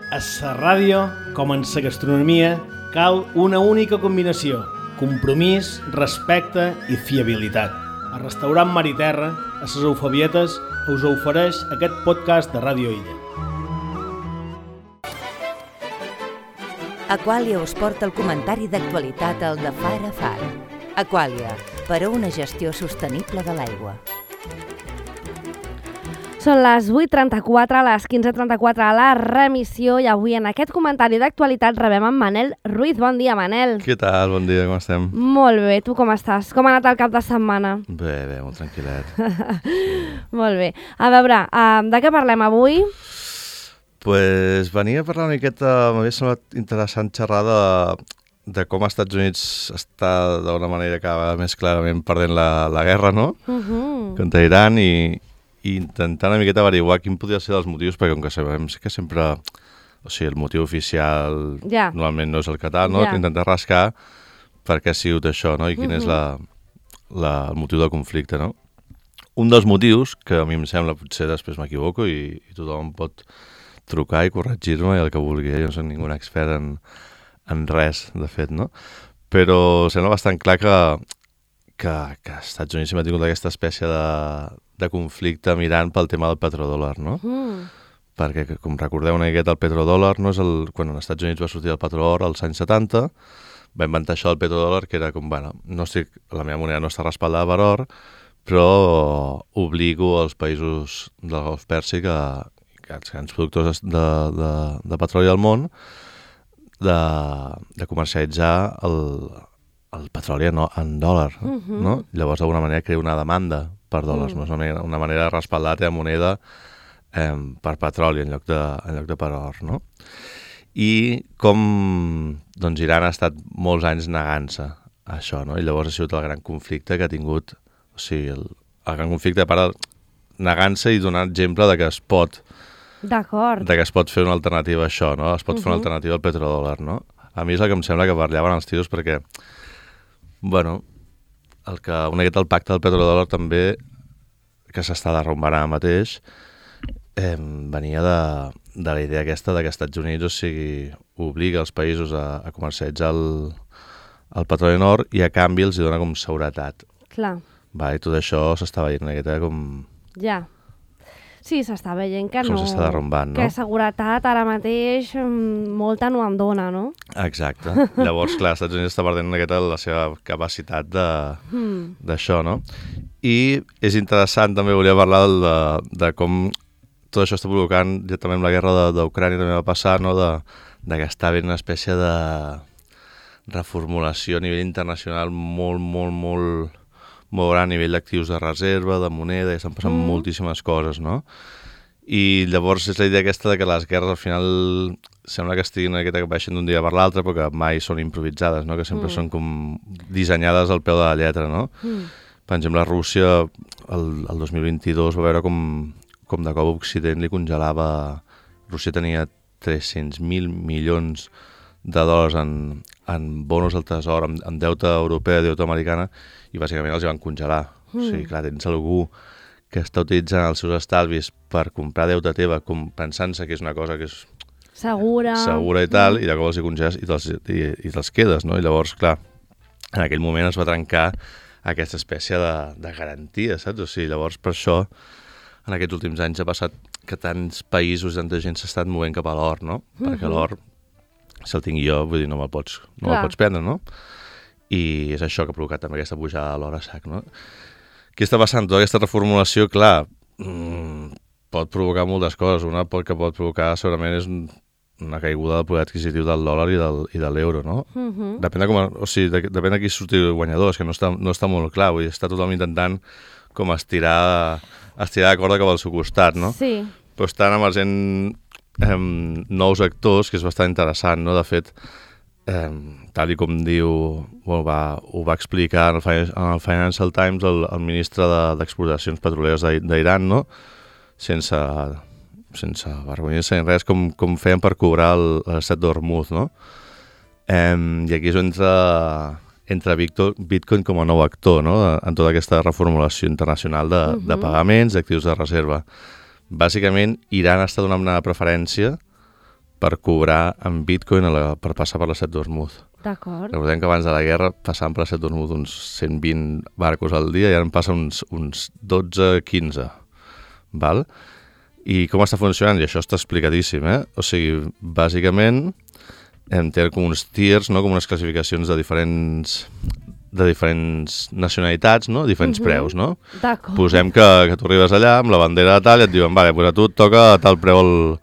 A la ràdio, com en la gastronomia, cal una única combinació: compromís, respecte i fiabilitat. A Restaurant Mar i Terra, a les Eufabietes, us ofereix aquest podcast de Ràdio Illa. Aquàlia us porta el comentari d'actualitat al de Far a Far. Aquàlia, per a una gestió sostenible de l'aigua. Són les 8:34, les 15:34 a la remissió i avui en aquest comentari d'actualitat rebem en Manel Ruiz. Bon dia, Manel. Què tal? Bon dia, com estem? Molt bé, tu com estàs? Com ha anat el cap de setmana? Bé, molt tranquil·let. Molt bé. A veure, de què parlem avui? Pues venia a parlar una miqueta, m'havia semblat interessant xerrar de com els Estats Units està d'una manera cada vegada més clarament perdent la guerra, no? Contra Iran i intentar una miqueta averiguar quin podria ser els motius, perquè com que sabem que sempre, o sigui, el motiu oficial normalment no és el Qatar, no? Intentar rascar per què ha sigut això, no? I quin és el motiu del conflicte, no? Un dels motius, que a mi em sembla, potser després m'equivoco i tothom pot trucar i corregir-me i el que vulgui, jo no soc ningú expert en res, de fet, no? Però sembla bastant clar que els Estats Units ha tingut aquesta espècie de conflicte amb Iran pel tema del petrodòlar, no? Perquè, com recordeu una miqueta, el petrodòlar no és quan els Estats Units va sortir el petrolor als anys 70, va inventar això del petrodòlar, que era com, bueno, la meva moneda no està respaldada per or, però obligo els països del Golf Pèrsic que els grans productors de petroli al món de comercialitzar el petroli en dòlar, no? Llavors, d'alguna manera, crea una demanda per dòlars, no? És una manera de respaldar la teva moneda per petroli en lloc de per or, no? I com doncs, Iran ha estat molts anys negant-se a això, no? I llavors ha sigut el gran conflicte que ha tingut, o sigui, el gran conflicte per negant-se i donar exemple de que es pot fer una alternativa a això, no? Es pot fer una alternativa al petrodòlar, no? A mi és el que em sembla que parlaven els tios perquè, bueno, una miqueta el pacte del petrodòlar també, que s'està derrumbant ara mateix, venia de la idea aquesta de que els Estats Units, o sigui, obliga els països a comercialitzar el petroli en or i a canvi els dona com seguretat. Clar. I tot això s'està veient una miqueta com... Ja. Sí, s'està veient que no... Com s'està derrumbant, no? Que seguretat ara mateix molta no en dona, no? Exacte. Llavors, clar, els Estats Units està perdent una miqueta la seva capacitat d'això, no? I és interessant, també volia parlar de com tot això està provocant, ja també amb la guerra d'Ucrània també va passar, no? De que està havent una espècie de reformulació a nivell internacional molt gran a nivell d'actius de reserva, de moneda, i estan passant moltíssimes coses, no? I llavors és la idea aquesta de que les guerres al final sembla que estiguin una miqueta que baixen d'un dia per l'altre, però que mai són improvisades, no? Que sempre són com dissenyades al peu de la lletra, no? Per exemple, Rússia el 2022 va veure com de cop Occident li congelava... Rússia tenia 300.000 milions de dòlars en bonos del tresor, en deute europeu, deute americana, i bàsicament els van congelar. O sigui, clar, tens algú que està utilitzant els seus estalvis per comprar deute teva, pensant-se que és una cosa que és segura i tal, i de cop els hi congeles i te'ls quedes, no? I llavors, clar, en aquell moment es va trencar aquesta espècie de garantia, saps? O sigui, llavors, per això, en aquests últims anys ha passat que tants països i tanta gent s'ha estat movent cap a l'or, no? Perquè l'or, si el tinc jo, vull dir, no me'l pots prendre, no? I és això que ha provocat també aquesta pujada de l'or a sac, no? Què està passant? Tota aquesta reformulació, clar, pot provocar moltes coses. Una que pot provocar segurament és una caiguda del poder adquisitiu del dòlar i de l'euro, no? Depèn de qui surti guanyador, és que no està molt clar, vull dir, està tothom intentant com estirar la corda cap al seu costat, no? Sí. Però estan emergent nous actors, que és bastant interessant, no? De fet, tal com diu, ho va explicar en el Financial Times el ministre d'Exportacions Petroleres d'Iran, no? Sense vergonya-se ni res, com feien per cobrar l'estat d'Hormuz, no? I aquí és on entra Bitcoin com a nou actor, no? En tota aquesta reformulació internacional de pagaments, d'actius de reserva. Bàsicament, Iran està donant una preferència per cobrar en Bitcoin per passar per la Strait d'Hormuz. D'acord. Recordem que abans de la guerra passaven per la Strait d'Hormuz uns 120 barcos al dia i ara en passa uns 12-15. Val? I com està funcionant? I això està explicadíssim, O sigui, bàsicament té com uns tiers, no? Com unes classificacions de diferents nacionalitats, no? Diferents preus, no? D'acord. Posem que tu arribes allà amb la bandera de tal i et diuen, vale, pues a tu et toca tal preu,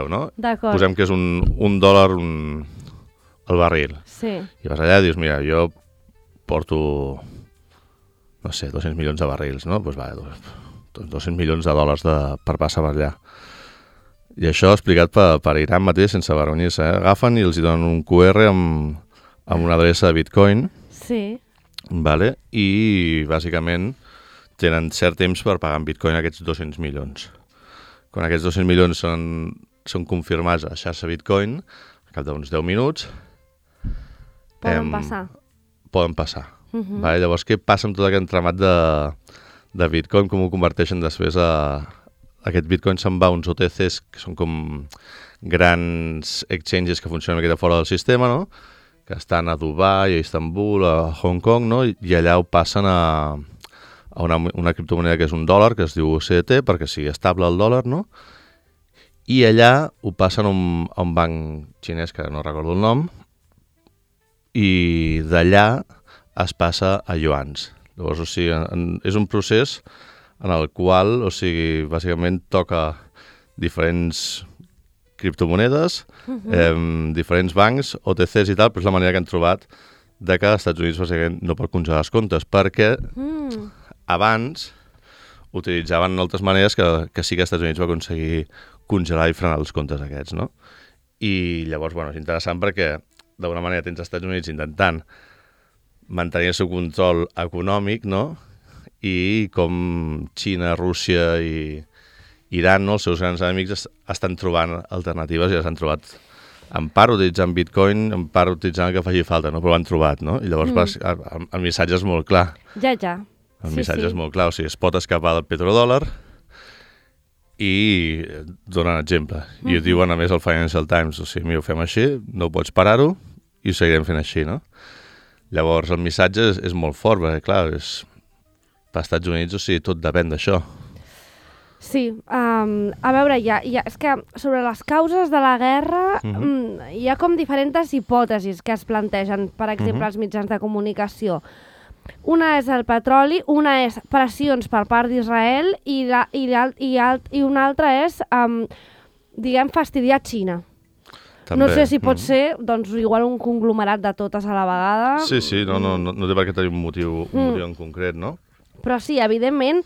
no? D'acord. Posem que és un dòlar el barril. Sí. I vas allà i dius, mira, jo porto, no sé, 200 milions de barrils, no? Doncs va, 200 milions de dòlars per passar per allà. I això explicat per Iran mateix, sense vergonyir-se, Agafen i els hi donen un QR amb una adreça de Bitcoin, Sí. vale? I bàsicament tenen cert temps per pagar en Bitcoin aquests 200 milions. Quan aquests 200 milions són confirmats a la xarxa Bitcoin, al cap d'uns 10 minuts, Poden passar. Poden passar. Vale? Llavors, què passa amb tot aquest entramat de Bitcoin? Com ho converteixen després aquest Bitcoin se'n va a uns OTCs, que són com grans exchanges que funcionen aquí de fora del sistema, no? Que estan a Dubai, a Istanbul, a Hong Kong, no? I allà ho passen a una criptomoneda que és un dòlar, que es diu USDT, perquè sigui estable el dòlar, no? I allà ho passen a un banc xinès, que no recordo el nom, i d'allà es passa a yuans. Llavors, o sigui, és un procés en el qual, o sigui, bàsicament toca diferents criptomonedes, diferents bancs, OTCs i tal, però és la manera que han trobat de que als Estats Units bàsicament no pot congelar els comptes, perquè abans utilitzaven altres maneres que sí que als Estats Units va aconseguir congelar i frenar els comptes aquests, no? I llavors, bueno, és interessant perquè d'alguna manera tens als Estats Units intentant mantenir el seu control econòmic, no? I com Xina, Rússia i Iran, no? Els seus grans enemics estan trobant alternatives i les han trobat en part utilitzant Bitcoin, en part utilitzant el que faci falta, no? Però ho han trobat, no? I llavors el missatge és molt clar. Ja. El missatge és molt clar, o sigui, es pot escapar del petrodòlar i donen exemple. I ho diuen a més al Financial Times, o sigui, mira, ho fem així, no pots parar-ho i ho seguirem fent així, no? Llavors el missatge és molt fort, perquè clar, per Estats Units, o sigui, tot depèn d'això. Sí, a veure, és que sobre les causes de la guerra hi ha com diferents hipòtesis que es plantegen, per exemple, als mitjans de comunicació. Una és el petroli, una és pressions per part d'Israel i una altra és, diguem, fastidiar Xina. També. No sé si pot ser, doncs, igual un conglomerat de totes a la vegada. Sí, no té per què tenir un motiu en concret, no? Però sí, evidentment,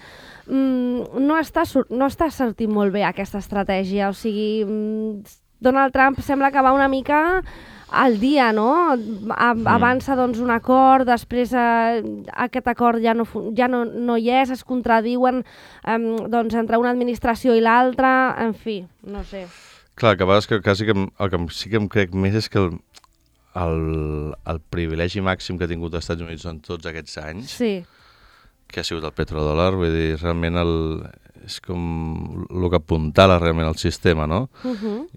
no està sortint molt bé aquesta estratègia. O sigui, Donald Trump sembla que va una mica al dia, no? Avança doncs, un acord, després aquest acord ja no hi és, es contradiuen doncs, entre una administració i l'altra, en fi, no sé. Clar, que a vegades el que sí que em crec més és que el privilegi màxim que ha tingut els Estats Units en tots aquests anys, que ha sigut el petrodòlar, vull dir, realment és com el que apuntala realment el sistema, no?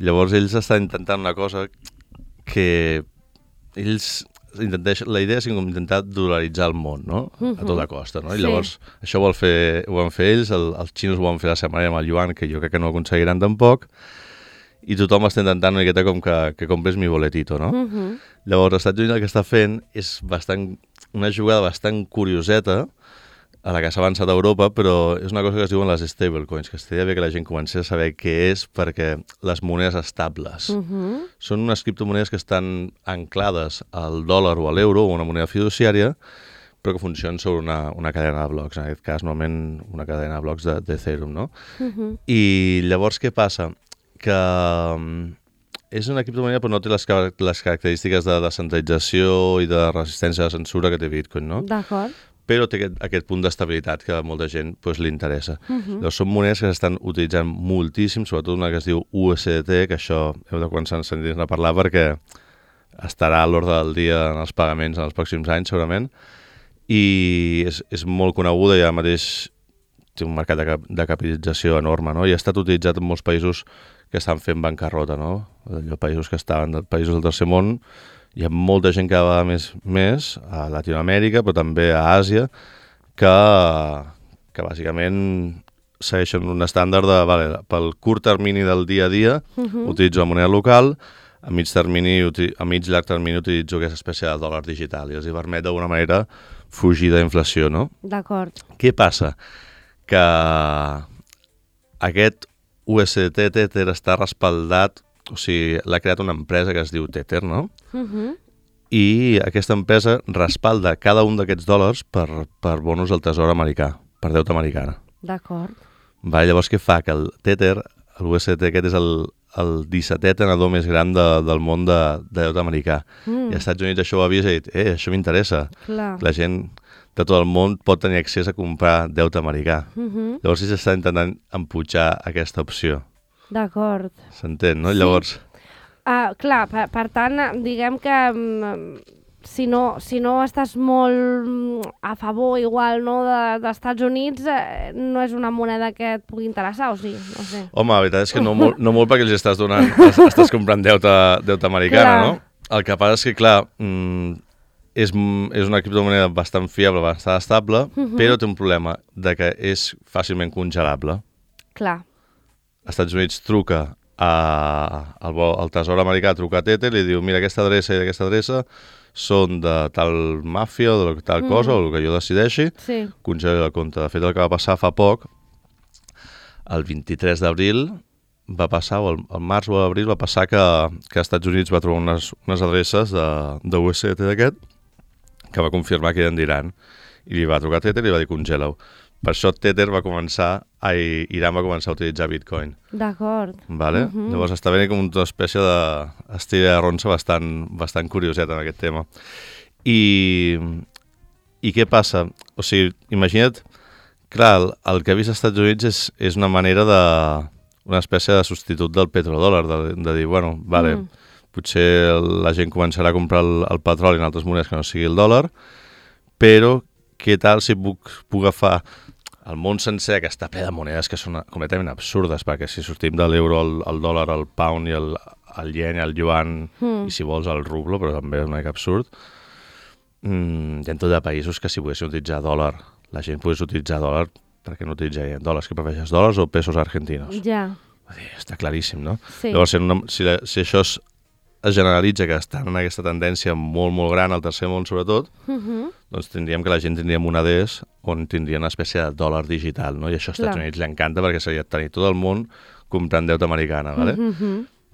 Llavors ells estan intentant una cosa que la idea és intentar dolaritzar el món, no? A tota costa, no? I llavors això ho van fer ells, els xinos ho van fer la setmana amb el yuan, que jo crec que no ho aconseguiran tampoc, i tothom està intentant una miqueta com que compres mi boletito, no? Llavors, els Estats Units el que està fent és una jugada bastant curioseta a la que s'ha avançat a Europa, però és una cosa que es diuen les stablecoins, que estaria bé que la gent comencés a saber què és, perquè les monedes estables són unes criptomonedes que estan anclades al dòlar o a l'euro o una moneda fiduciària, però que funcionen sobre una cadena de blocs, en aquest cas normalment una cadena de blocs d'Ethereum, no? I llavors què passa? Que és una criptomoneda però no té les característiques de descentralització i de resistència a la censura que té Bitcoin, no? D'acord. Però té aquest punt d'estabilitat que a molta gent li interessa. Llavors, són monedes que s'estan utilitzant moltíssim, sobretot una que es diu USDT, que això heu de començar a sentir-ne a parlar perquè estarà a l'ordre del dia en els pagaments en els pròxims anys, segurament, i és molt coneguda i ara mateix té un mercat de capitalització enorme, no? I ha estat utilitzat en molts països que estan fent bancarrota, no? Països que estaven, països del tercer món, hi ha molta gent cada vegada més a Latinoamèrica, però també a Àsia, que bàsicament segueixen un estàndard de, vale, pel curt termini del dia a dia, utilitzo la moneda local, a mig llarg termini utilitzo aquesta espècie de dòlar digital i els hi permet d'alguna manera fugir de la inflació, no? D'acord. Què passa? Que aquest USDT Tether està respaldat, o sigui, l'ha creat una empresa que es diu Tether, no? I aquesta empresa respalda cada un d'aquests dòlars per bonus del Tesor americà, per deute americana. D'acord. Llavors, què fa? Que el Tether, l'USDT aquest és el 17è tenedor més gran del món de deute americà. I als Estats Units això ho ha vist i ha dit, això m'interessa. La gent de tot el món pot tenir accés a comprar deute americà. Llavors s'està intentant empujar aquesta opció. D'acord. S'entén, no? Llavors... Clar, per tant, diguem que si no estàs molt a favor igual no, d'Estats Units, no és una moneda que et pugui interessar, o sí? No sé. Home, la veritat és que no molt perquè els estàs donant, estàs comprant deute americana, no? El que passa és que, clar, és una criptomoneda bastant fiable, bastant estable, però té un problema de que és fàcilment congelable. Clar. Els Estats Units truca al Tesor americà, truca a Tether i li diu, mira, aquesta adreça i aquesta adreça són de tal màfia o de tal cosa, o el que jo decideixi, congela el compte. De fet, el que va passar fa poc, el 23 d'abril, va passar, o el març o l'abril, va passar que als Estats Units va trobar unes adreces de USDT d'aquest que va confirmar que eren d'Iran. I li va trucar a Tether i li va dir, congela-ho. Per això Tether Iran va començar a utilitzar Bitcoin. D'acord. Vale? Llavors està venint com una espècie d'estil de ronça bastant curioset en aquest tema. I què passa? O sigui, imagina't, clar, el que ha vist als Estats Units és una manera una espècie de substitut del petrodòlar, de dir, bueno, vale, potser la gent començarà a comprar el petroli en altres monedes que no sigui el dòlar, però què tal si puc agafar el món sencer, que està ple de monedes que són completament absurdes, perquè si sortim de l'euro, el dòlar, el pound i el yen, el yuan, i si vols el rublo, però també és una mica absurd, hi ha tot de països que si poguessin utilitzar dòlar, la gent pogués utilitzar dòlar, perquè no utilitzarien dòlars, que prefereixes dòlars o pesos argentinos? Ja. Està claríssim, no? Sí. Llavors, si això es generalitza, que estan en aquesta tendència molt, molt gran, al tercer món sobretot, doncs tindríem que la gent tindria moneders on tindria una espècie de dòlar digital, no? I això als Estats Units li encanta perquè seria tenir tot el món comprant deute americana, ¿vale?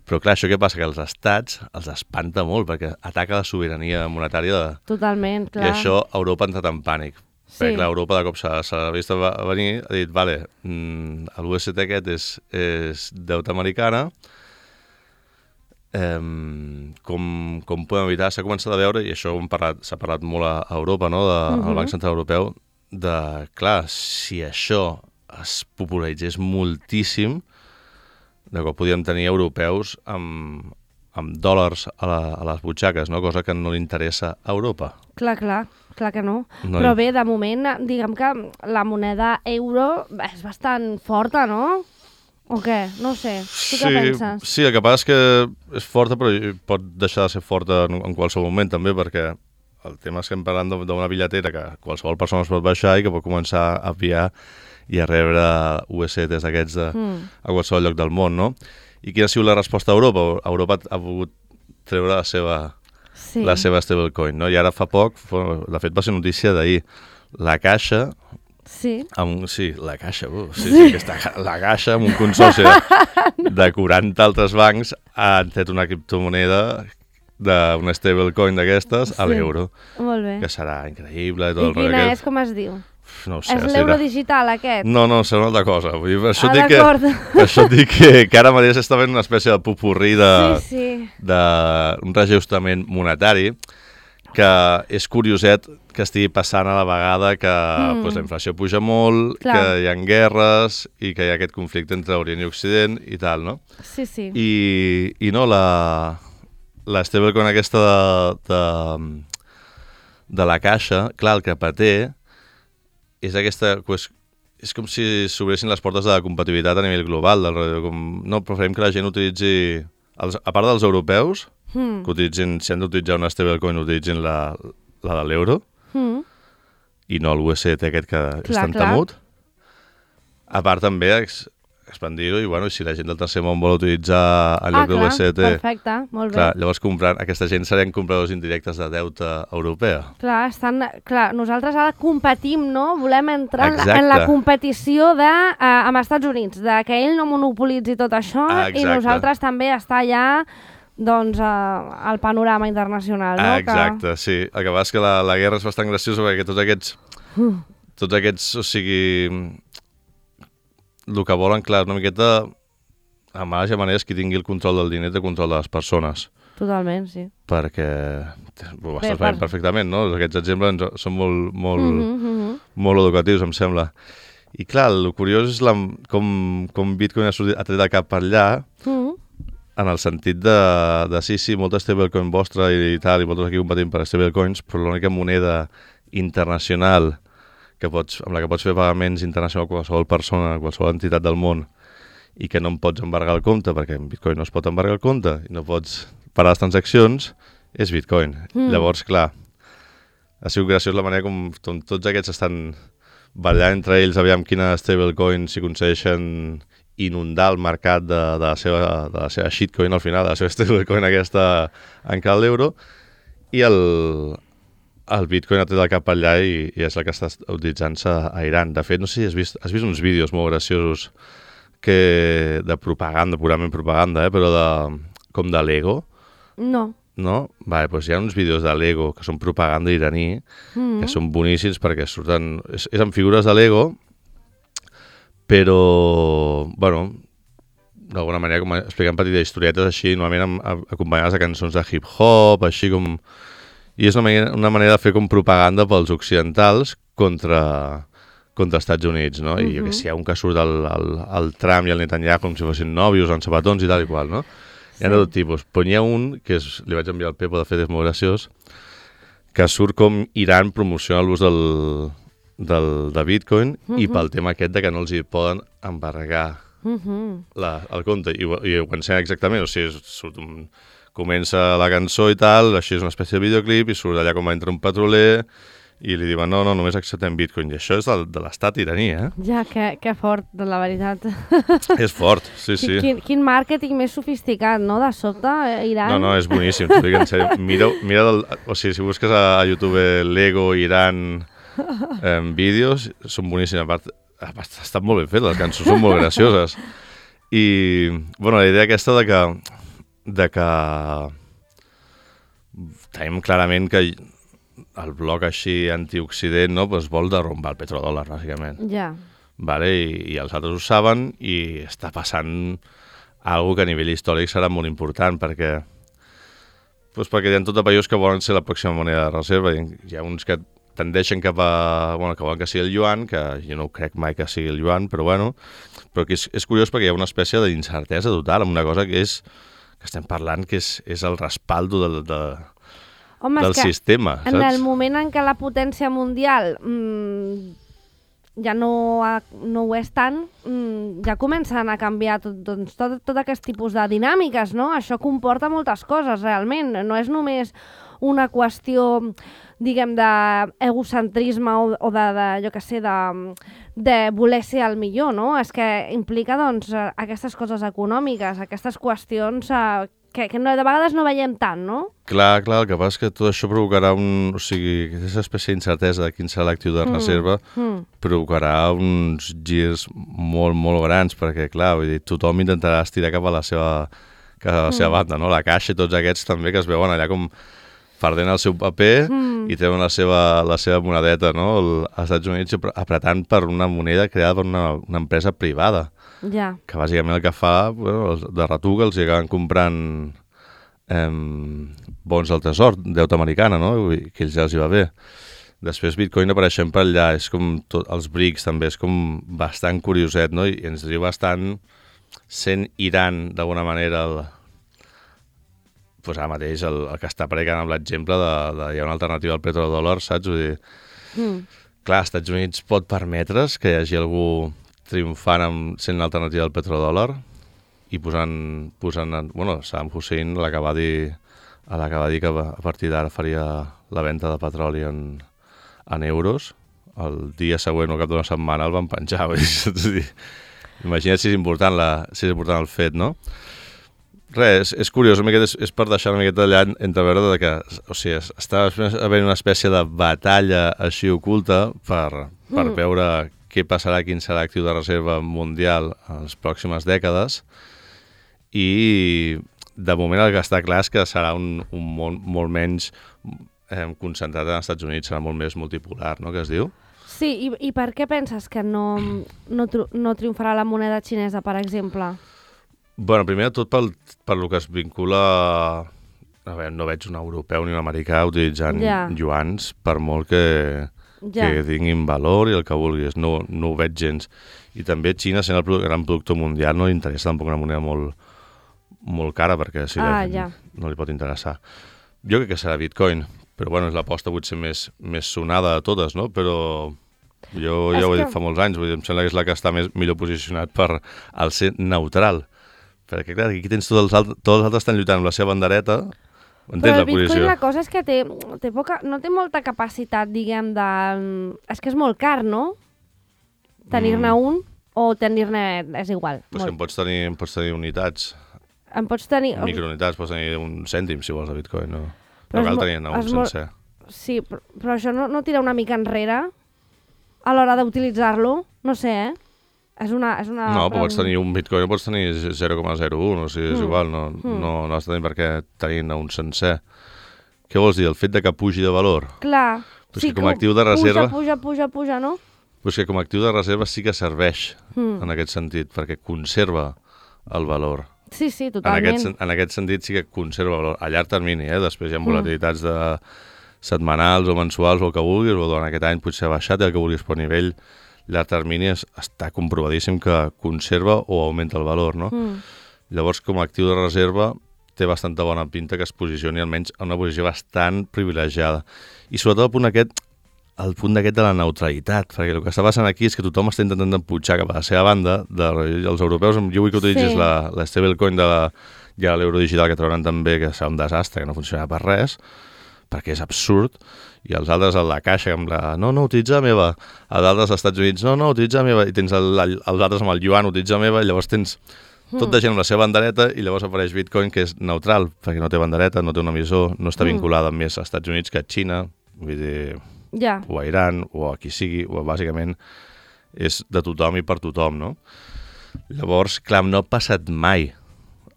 Però clar, això què passa? Que els estats els espanta molt perquè ataca la sobirania monetària Totalment, clar. I això Europa ha entrat en pànic. Perquè clar, Europa de cop s'ha vist venir, ha dit, vale, l'USDT aquest és deute americana, com podem evitar? S'ha començat a veure, i això s'ha parlat molt a Europa, no? Al Banc Central Europeu, clar, si això es popularitzés moltíssim, de cop podríem tenir europeus amb dòlars a les butxaques, no? Cosa que no li interessa a Europa. Clar que no. Però bé, de moment, diguem que la moneda euro és bastant forta, no? O què? No sé. Tu què penses? Sí, el que passa és que és forta, però pot deixar de ser forta en qualsevol moment, també, perquè el tema és que hem parlat d'una bitlletera que qualsevol persona es pot baixar i que pot començar a enviar i a rebre USDTs d'aquests a qualsevol lloc del món, no? I quina ha sigut la resposta a Europa? Europa ha volgut treure la seva stablecoin, no? I ara fa poc, de fet va ser notícia d'ahir, la Caixa... Sí. La Caixa, la Caixa amb un consorci de 40 altres bancs han tret una criptomoneda d'una stablecoin d'aquestes a l'euro. Molt bé. Que serà increïble. I quina és, com es diu? No ho sé. És l'euro digital, aquest? No, serà una altra cosa. Vull dir, per això dic que ara mateix està fent una espècie de popurrí d'un reajustament monetari que és curioset que estigui passant a la vegada que la inflació puja molt, que hi ha guerres i que hi ha aquest conflicte entre Orient i Occident i tal, no? Sí. I no, la stablecoin aquesta de la Caixa, clar, el que paté és aquesta és com si s'obressin les portes de la compatibilitat a nivell global. No, preferim que la gent utilitzi, a part dels europeus, que utilitzin, si han d'utilitzar una stablecoin, utilitzin la de l'euro, i no el USDT aquest que és tan temut. A part també expandir-ho i si la gent del tercer món vol utilitzar en lloc de l'USDT... Perfecte, molt bé. Clar, llavors aquesta gent serien compradors indirectes de deute europea. Clar, nosaltres ara competim, no? Volem entrar en la competició amb Estats Units, que ell no monopolitzi tot això i nosaltres també estar allà doncs al panorama internacional, no? Exacte, sí. El que passa és que la guerra és bastant graciosa perquè tots aquests, o sigui, el que volen, clar, una miqueta, a males maneres, qui tingui el control del diner té control de les persones. Totalment, sí. Perquè ho estàs veient perfectament, no? Aquests exemples són molt educatius, em sembla. I clar, el curiós és com Bitcoin ha tret el cap per allà, en el sentit de sí, molta stablecoin vostra i tal, i vosaltres aquí competint per stablecoins, però l'única moneda internacional amb la que pots fer pagaments internacionals a qualsevol persona, a qualsevol entitat del món, i que no em pots embargar el compte, perquè en Bitcoin no es pot embargar el compte, i no pots parar les transaccions, és Bitcoin. Llavors, clar, ha sigut graciós la manera com tots aquests estan ballant entre ells, aviam quina stablecoin si aconsegueixen inundar el mercat de la seva shitcoin al final, de la seva stablecoin aquesta en cal l'euro, i el Bitcoin ha tret el cap allà i és el que està utilitzant-se a Iran. De fet, no sé si has vist uns vídeos molt graciosos de propaganda, purament propaganda, però com de Lego. No. No? Vale, doncs hi ha uns vídeos de Lego que són propaganda iraní, que són boníssims perquè surten... És amb figures de Lego, però, bueno, d'alguna manera com explicant petites historietes així, normalment acompanyades de cançons de hip-hop, així com... I és una manera de fer com propaganda pels occidentals contra Estats Units, no? I jo que sé, hi ha un que surt el Trump i el Netanyahu com si fossin nòvios en sabatons i tal i qual, no? Hi ha de tot tipus. Però n'hi ha un, que li vaig enviar al Pepo, de fet és molt graciós, que surt com Iran promociona l'ús de Bitcoin i pel tema aquest de que no els hi poden embargar el compte. I ho pensem exactament, o sigui, comença la cançó i tal, així és una espècie de videoclip i surt allà com entra un petroler i li diuen no, només acceptem Bitcoin. I això és de l'estat iraní, eh? Ja, que fort, de la veritat. És fort, sí. Quin màrqueting més sofisticat, no?, de sobte, Iran. No, és boníssim, t'ho dic en sèrio. Mira o sigui, si busques a YouTube Lego, Iran, vídeos, són boníssims. A part, estan molt ben fetes, les cançons són molt gracioses. I, bueno, la idea aquesta de que tenim clarament que el bloc així antioccident, no, pues vol derrumbar el petrodòlar, bàsicament. Ja. Vale? I els altres ho saben i està passant alguna que a nivell històric serà molt important perquè hi ha tot de països que volen ser la pròxima moneda de reserva. Hi ha uns que tendeixen cap a... Bueno, que volen que sigui el yuan, que jo no crec mai que sigui el yuan, però bueno. Però que és curiós perquè hi ha una espècie d'incertesa total amb una cosa que estem parlant que és el respaldo del sistema, saps? En el moment en què la potència mundial ja no ho és tant, ja comencen a canviar tot aquest tipus de dinàmiques, no? Això comporta moltes coses, realment. No és només una qüestió, diguem, d'egocentrisme o jo què sé, de voler ser el millor, no? És que implica, doncs, aquestes coses econòmiques, aquestes qüestions que de vegades no veiem tant, no? Clar, el que passa és que tot això provocarà o sigui, aquesta espècie d'incertesa de quin serà l'actiu de reserva provocarà uns girs molt, molt grans, perquè, clar, vull dir, tothom intentarà estirar cap a la seva banda, no? La Caixa i tots aquests també que es veuen allà com perdent el seu paper i treuen la seva monedeta, no? Als Estats Units apretant per una moneda creada per una empresa privada. Ja. Que bàsicament el que fa, de retoc, els acaben comprant bons del tresor, deute americana, no? Que ells ja els hi va bé. Després Bitcoin apareixent per allà, és com els BRICS també, és com bastant curioset, no? I ens diu bastant sent Iran d'alguna manera pues ara mateix el que està predicant amb l'exemple hi ha una alternativa al petrodòlar, saps? Vull dir, clar, als Estats Units pot permetre's que hi hagi algú triomfant sent l'alternativa al petrodòlar i posant Saddam Hussein l'acabar dir que a partir d'ara faria la venda de petroli en euros. El dia següent o cap d'una setmana el van penjar. Imagina't si és important el fet, no? Res, és curiós, és per deixar una miqueta allà entreveure que, o sigui, està havent una espècie de batalla així oculta per veure què passarà, quin serà l'actiu de reserva mundial en les pròximes dècades, i de moment el que està clar és que serà un món molt menys concentrat en els Estats Units, serà molt més multipolar, no?, que es diu? Sí, i per què penses que no triomfarà la moneda xinesa, per exemple? Bueno, primer de tot per lo que es vincula... A veure, no veig un europeu ni un americà utilitzant yuans, per molt que tinguin valor i el que vulguis. No ho veig gens. I també Xina, sent el gran productor mundial, no li interessa tampoc una moneda molt cara, perquè si no li pot interessar. Jo crec que serà Bitcoin, però bueno, és l'aposta potser més sonada de totes, no? Però jo ja ho he dit fa molts anys, em sembla que és la que està millor posicionat per al ser neutral. Perquè, clar, aquí tens tots els altres estan lluitant amb la seva bandereta, entens la posició? Però el Bitcoin la cosa és que no té molta capacitat, diguem, És que és molt car, no? Tenir-ne un o tenir-ne... és igual. Però si em pots tenir unitats. Em pots tenir... Microunitats, pots tenir un cèntim, si vols, de Bitcoin, no? No cal tenir-ne un sencer. Sí, però això no tira una mica enrere a l'hora d'utilitzar-lo? No sé, És una... No, però pots tenir un Bitcoin, pots tenir 0,01, o sigui, és igual, no has de tenir per què tenir-ne un sencer. Què vols dir? El fet de que pugi de valor? Clar, sí, com a actiu de reserva... Puja, no? Però és que com a actiu de reserva sí que serveix en aquest sentit, perquè conserva el valor. Sí, totalment. En aquest sentit sí que conserva valor. A llarg termini, després hi ha volatilitats de setmanals o mensuals o el que vulguis, o durant aquest any potser ha baixat i el que vulguis, però a nivell llarg termini està comprovadíssim que conserva o augmenta el valor, no? Llavors, com a actiu de reserva, té bastanta bona pinta que es posicioni almenys en una posició bastant privilegiada. I sobretot el punt d'aquest de la neutralitat, perquè el que està passant aquí és que tothom està intentant empujar cap a la seva banda, els europeus, jo vull que utilitzis la stablecoin i l'euro digital que trauran també, que serà un desastre, que no funcionarà per res, perquè és absurd, i els altres a la caixa amb no, utilitza la meva, a d'altres als Estats Units, no, utilitza la meva, i tens els altres amb el yuan, utilitza la meva, i llavors tens tot de gent amb la seva bandereta, i llavors apareix Bitcoin, que és neutral, perquè no té bandereta, no té un emissor, no està vinculada més als Estats Units que a Xina, vull dir, o a Iran, o a qui sigui, o bàsicament és de tothom i per tothom, no? Llavors, clar, no ha passat mai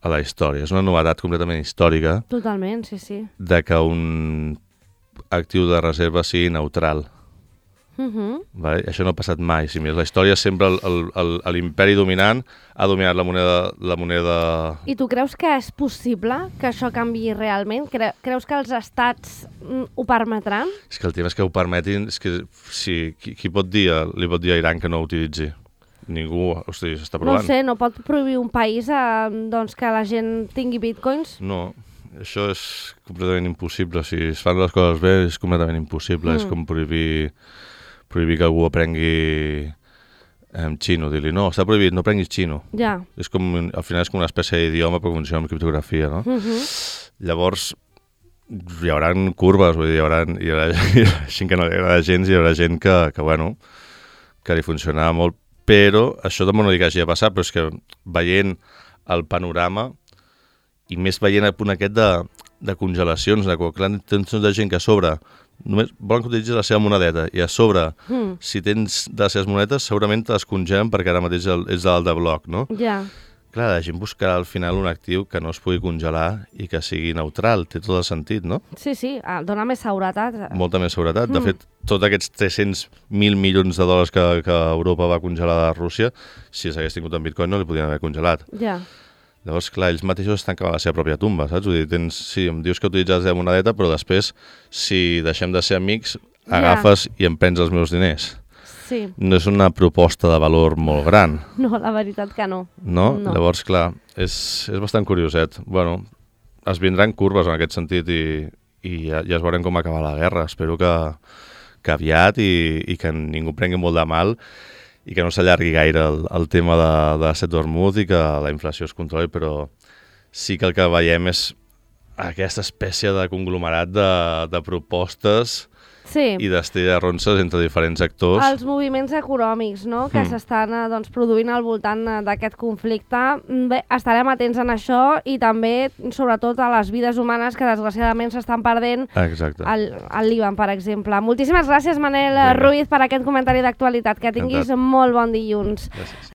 a la història, és una novetat completament històrica. Totalment, sí. De que un actiu de reserva sigui neutral. Vale? Això no ha passat mai. Si més la història sempre l'imperi dominant ha dominat la moneda... I tu creus que és possible que això canviï realment? Creus que els estats ho permetran? És que el tema és que ho permetin... És que si, qui li pot dir a Iran que no ho utilitzi? Ningú, hosti, s'està provant. No sé, no pot prohibir un país que la gent tingui bitcoins? No, això és completament impossible. Si es fan les coses bé és completament impossible. És com prohibir que algú aprengui xino. Dir-li, no, està prohibit, no aprenguis xino. Ja. És com, al final és com una espècie d'idioma però funciona amb criptografia, no? Llavors, hi haurà curves, vull dir, hi haurà gent que no li agrada gens i hi haurà gent que li funcionarà molt, però això també no dic que hagi de passar, però és que veient el panorama i més veient el punt aquest de congelacions, de quan tens de gent que a sobre només volen que utilitzis la seva monedeta i a sobre, si tens de les seves monedes, segurament te les congelen perquè ara mateix és dalt de bloc, no? Ja. Clar, la gent buscarà al final un actiu que no es pugui congelar i que sigui neutral, té tot el sentit, no? Sí, dona més seguretat. Molta més seguretat. De fet, tots aquests 300.000 milions de dòlars que Europa va congelar de Rússia, si s'hagués tingut en Bitcoin no li podien haver congelat. Ja. Llavors, clar, ells mateixos estan cavant la seva pròpia tumba, saps? Vull dir, sí, em dius que utilitzes la monedeta, però després, si deixem de ser amics, agafes i em prens els meus diners. Sí. No és una proposta de valor molt gran. No, la veritat que no. No? Llavors, clar, és bastant curioset. Bueno, es vindran curves en aquest sentit i ja es veurem com acabar la guerra. Espero que que aviat i que ningú prengui molt de mal i que no s'allargui gaire el tema de set vermut i que la inflació es controli, però sí que el que veiem és aquesta espècie de conglomerat de propostes i d'estrella de ronces entre diferents actors. Els moviments econòmics, no?, que s'estan produint al voltant d'aquest conflicte. Bé, estarem atents en això i també, sobretot, a les vides humanes que desgraciadament s'estan perdent al Líban, per exemple. Moltíssimes gràcies, Manel Ruiz, per aquest comentari d'actualitat. Que tinguis molt bon dilluns. Gràcies.